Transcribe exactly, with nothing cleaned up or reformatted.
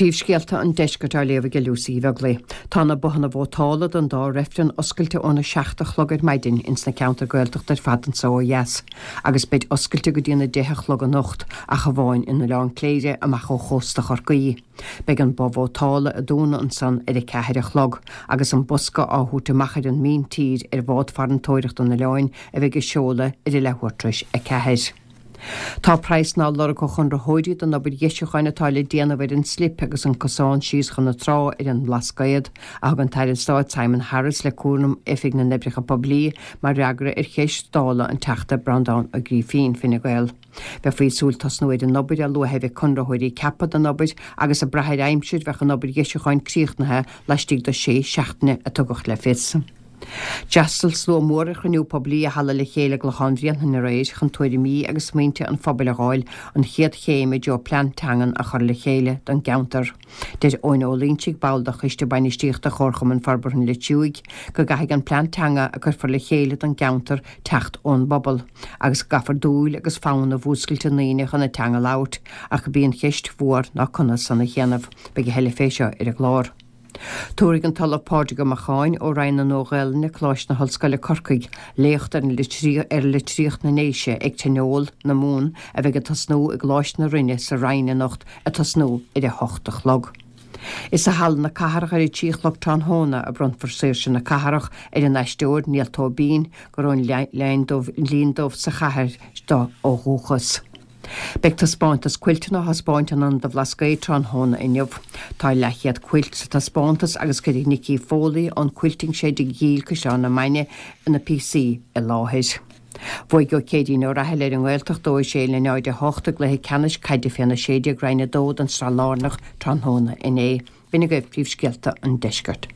Príomhscéalta an deiscirt á léamh ag Lucy Bheaglaoich. Tá na bothanna vótála don dá reifreann oscailte óna seacht a chlog ar maidin ins na ceantair Gaeltachta ar fad anseo ó dheas, agus beid oscailte go dtí na deich a chlog anocht ach amháin in Oileán Cléire amach ó chósta Chorcaí. Beidh an both vótála ag dúnadh ansan ar a ceathair a chlog, agus an bosca á thabhairt amach ar an míntír ar bhád farantóireachta an oileáin a bheidh ag seoladh ar a leathuair tar éis a ceathair. Tá praghsanna á lorg ó chonraitheoirí don obair dheisiúcháin atá le déanamh ar an slip agus an cosán síos chun na trá ar an mBlascaod, a thug an tAire Stáit Simon Harris le cúram Oifig na nOibreacha Poiblí mar fhreagra ar cheist Dála an Teachta Breandán Ó Grífín, Fine Gael. Bheifí ag súil tosnú ar an obair a luaithe a bheidh conraitheoirí ceaptha don obair agus ag brath ar aimsir bheadh an obair dheisiúcháin críochnaithe laistigh de sé seachtaine a tugadh le fios. D'fhreastail slua mór ar chruinniú poiblí i Halla le Chéile i gClochán Bhréanainn aréir chun tuairimí agus smaointe an phobail a fháil, an chéad chéim i dtreo plean teangan a chur le chéile don gceantar. Deir Eoin Ó Loingsigh, ball de choiste bainistíochta Chomharchumann Forbartha an Leitriúigh, go gcaithfidh an plean teanga a cuirfear le chéile don gceantar teacht ón bpobal, agus go gcaithfear dúil agus fonn a mhúscailt i ndaoine chun an teanga a labhairt, ach gurb í an cheist mhór ná conas san a dhéanamh. Beidh a thuilleadh fé seo ar an gclár. Tabharfaidh an tOllamh Pádraig Ó Macháin ó Roinn na Nua-Ghaelainne, Coláiste na hOllscoile Corcaigh, léacht ar ar litríocht na nDéise ag Tionól na Mumhan a bheidh ag tosnú i gColáiste na Rinne sa Rinn anocht ag tosnú ar a hocht a chlog. Is i Halla na Cathrach ar a trí a chlog tráthnóna a bronnfar Saoirse na Cathrach ar an aisteoir Niall Tóibín, gur ón Linn Dubh sa chathair do ó dhúchas. Beidh taispeántas cuilteanna á thaispeáint in Ionad an Bhlascaoid tráthnóna inniu. Tá leathchéad cuilt sa taispeántas agus cuirfidh Nikki Foley ón Quilting Shed i gCill Caisleán na Mainge na píosaí i láthair. Bhuaigh Ó Céirín Ó Rathaille ar an nGaeltacht dó a sé le náid a hocht i gcluiche ceannais caide féna sé déag Roinn a dó den tSraith Lárnach tráthnóna inné. B'in agaibh príomhscéalta an deiscirt.